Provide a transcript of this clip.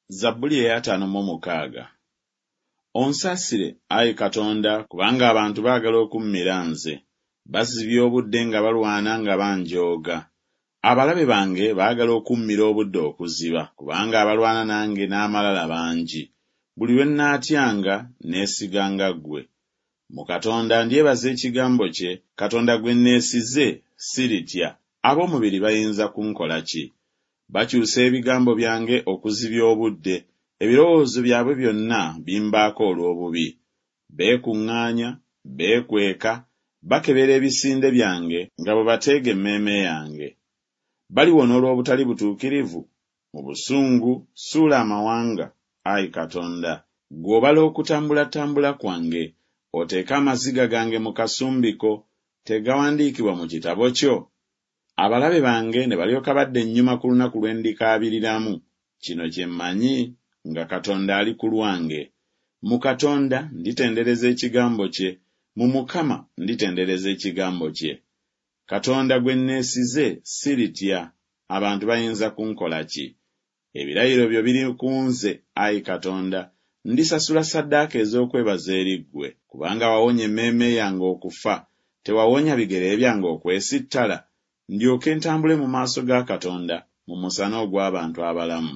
Zabbuli ey'ataano mu mukaaga. Onsaasire, ayi Katonda, kubanga abantu baagala okummira nze. Bazibya obudde nga balwana nga banjooga. Abalabe bange baagala okummira obudde okuziba, kubanga abalwana nange n'amalala bangi. Buli lwe nnaatyanga, neesiganga ggwe. Mu Katonda ndyebaza ekigambo kye, Katonda gwe nneesize, siritya, ab'omubiri bayinza kunkola ki? Bakyusa ebigambo byange okuzibya obudde, ebirowoozo byabwe byonna bimbaako olw'obubi. Beekuŋŋaanya, beekweka, bakebera ebisinde byange nga bwe bateega emmeeme yange. Baliwona olw'obutali butuukirivu? Mu busungu suula amawanga, ayi Katonda. Ggwe obala okutambulatambula kwange, oteeke amaziga gange mu kasumbi ko, tegawandiikibwa mu kitabo kyo? Abalabe bange ne balyoka badda ennyuma ku lunaku lwe ndikaabiriramu. Kino kye mmanyi, nga Katonda ali ku lwange. Mu Katonda nditendereza ekigambo kye, mu Mukama nditendereza ekigambo kye. Katonda gwe nneesize, siritya, abantu bayinza kunkola ki? Ebirayiro byo biri ku nze, ayi Katonda, ndisasula ssaddaaka ez'okwebaza eri ggwe. Kubanga wawonya emmeeme yange okufa, tewawonya bigere byange okwesittala? Ndyoke ntambule mu maaso ga Katonda mu musana ogw'abantu abalamu.